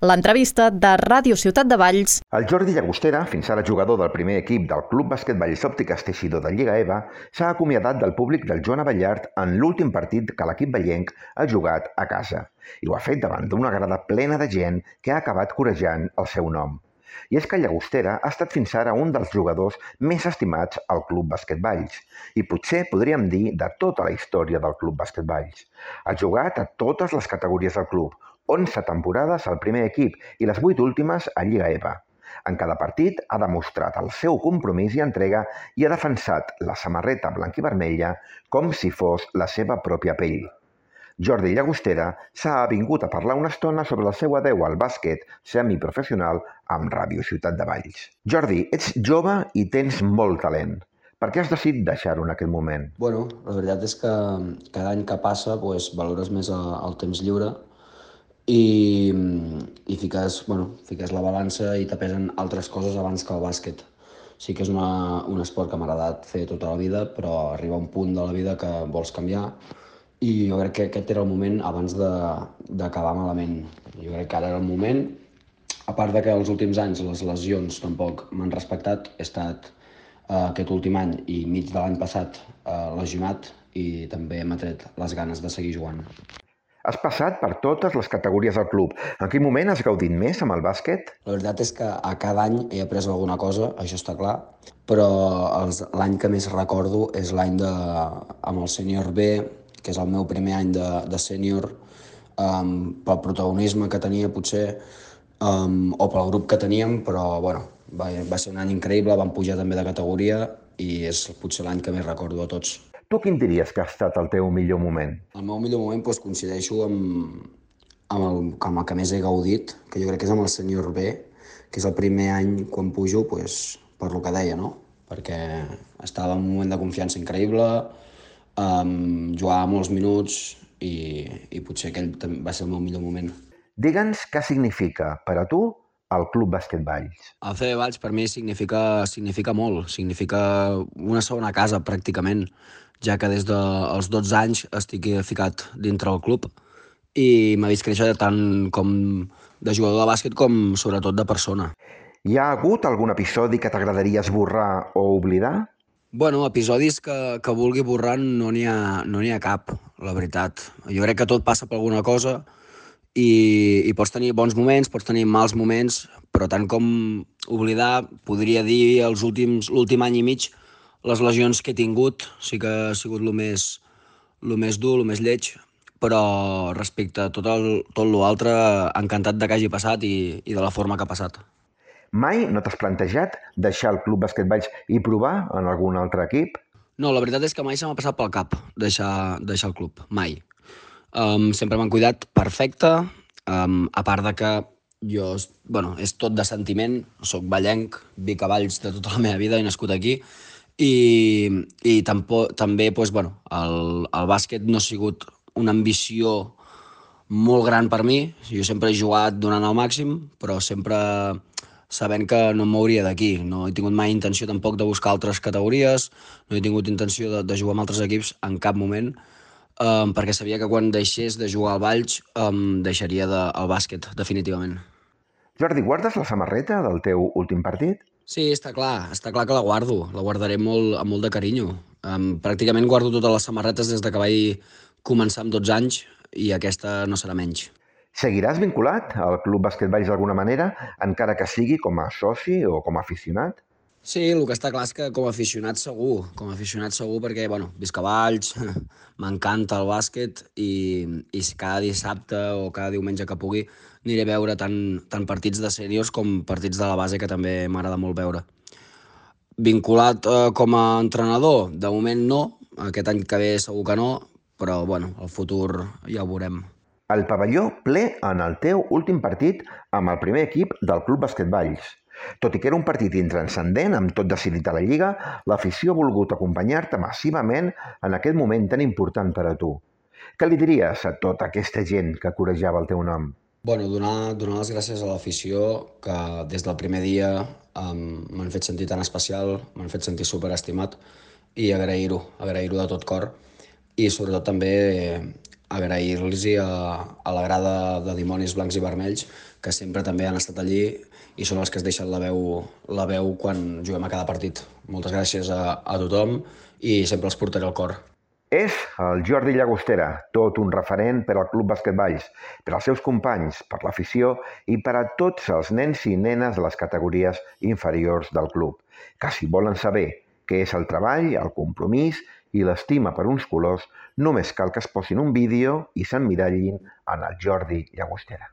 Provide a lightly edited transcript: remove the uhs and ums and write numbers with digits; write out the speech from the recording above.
L'entrevista de Ràdio Ciutat de Valls. El Jordi Llagostera, fins ara jugador del primer equip del Club Bàsquet Valls Òptiques Teixidor de Lliga EVA, s'ha acomiadat del públic del Joan Abellart en l'últim partit que l'equip vallenc ha jugat a casa. I ho ha fet davant d'una grada plena de gent que ha acabat corejant el seu nom. I és que Llagostera ha estat fins ara un dels jugadors més estimats al Club Bàsquet Valls i potser podríem dir de tota la història del Club Bàsquet Valls. Ha jugat a totes les categories del club, 11 temporades al primer equip i les 8 últimes a Lliga EVA. En cada partit ha demostrat el seu compromís i entrega i ha defensat la samarreta blanc-i-vermella com si fos la seva pròpia pell. Jordi Llagostera s'ha avingut a parlar una estona sobre el seu adeu al bàsquet semiprofessional amb Ràdio Ciutat de Valls. Jordi, ets jove i tens molt talent. Per què has decidit deixar-ho en aquest moment? Bueno, la veritat és que cada any que passa valores més el temps lliure i fiques la balança i te pesen altres coses abans que el bàsquet. Sí que és un esport que m'ha agradat fer tota la vida, però arriba un punt de la vida que vols canviar i jo crec que aquest era el moment abans d'acabar malament. Jo crec que ara era el moment, a part de que els últims anys les lesions tampoc m'han respectat, he estat aquest últim any i mig de l'any passat lesionat i també m'ha tret les ganes de seguir jugant. Has passat per totes les categories del club. En quin moment has gaudit més amb el bàsquet? La veritat és que a cada any he après alguna cosa, això està clar, però l'any que més recordo és l'any amb el sènior B, que és el meu primer any de sènior, pel protagonisme que tenia potser, o pel grup que teníem, però bueno, va ser un any increïble, vam pujar també de categoria i és potser l'any que més recordo a tots. Tu quin diries que ha estat el teu millor moment? El meu millor moment coincideixo amb el que més he gaudit, que jo crec que és amb el sènior B, que és el primer any quan pujo, per lo que deia, no? Perquè estava en un moment de confiança increïble, jugava molts minuts i potser aquell va ser el meu millor moment. Digue'ns què significa per a tu el Club Bàsquet Valls. El CB Valls per mi significa molt, significa una segona casa pràcticament, ja que des dels 12 anys estic ficat dintre el club i m'ha vist créixer tant com de jugador de bàsquet com sobretot de persona. Hi ha hagut algun episodi que t'agradaria esborrar o oblidar? Bueno, episodis que vulgui borrar no n'hi ha cap, la veritat. Jo crec que tot passa per alguna cosa i pots tenir bons moments, pots tenir mals moments, però tant com oblidar, podria dir l'últim any i mig, les lesions que he tingut sí que ha sigut el més dur, el més lleig, però respecte a tot l'altre, encantat de que hagi passat i de la forma que ha passat. Mai no t'has plantejat deixar el Club Bàsquet Valls i provar en algun altre equip? No, la veritat és que mai se m'ha passat pel cap deixar el club, mai. Sempre m'han cuidat perfecte, a part de que jo, és tot de sentiment, soc vallenc, vic a Valls de tota la meva vida, he nascut aquí, i també el bàsquet no ha sigut una ambició molt gran per mi. Jo sempre he jugat donant el màxim, però sempre sabent que no em mouria d'aquí. No he tingut mai intenció tampoc de buscar altres categories, no he tingut intenció de jugar amb altres equips en cap moment, perquè sabia que quan deixés de jugar al Valls deixaria el bàsquet, definitivament. Jordi, guardes la samarreta del teu últim partit? Sí, està clar que la guardaré amb molt de carinyo. Pràcticament guardo totes les samarretes des que vaig començar amb 12 anys i aquesta no serà menys. Seguiràs vinculat al Club Bàsquet Valls d'alguna manera, encara que sigui com a soci o com a aficionat? Sí, el que està clar és que com a aficionat segur perquè, visc a Valls, m'encanta el bàsquet i cada dissabte o cada diumenge que pugui aniré a veure tant partits de sèniors com partits de la base, que també m'agrada molt veure. Vinculat com a entrenador? De moment no, aquest any que ve segur que no, però el futur ja ho veurem. El pavelló ple en el teu últim partit amb el primer equip del Club Bàsquet Valls. Tot i que era un partit intranscendent, amb tot decidit a la Lliga, l'afició ha volgut acompanyar-te massivament en aquest moment tan important per a tu. Què li diries a tota aquesta gent que corejava el teu nom? Donar les gràcies a l'afició, que des del primer dia m'han fet sentir tan especial, m'han fet sentir superestimat, i agrair-ho de tot cor. I sobretot també agrair-los a la grada de dimonis blancs i vermells, que sempre també han estat allí i són els que es deixen la veu quan juguem a cada partit. Moltes gràcies a tothom i sempre els portaré al cor. És el Jordi Llagostera, tot un referent per al Club Bàsquet Valls, per als seus companys, per l'afició i per a tots els nens i nenes de les categories inferiors del club, que si volen saber què és el treball, el compromís i l'estima per uns colors, només cal que es posin un vídeo i s'emmirallin en el Jordi Llagostera.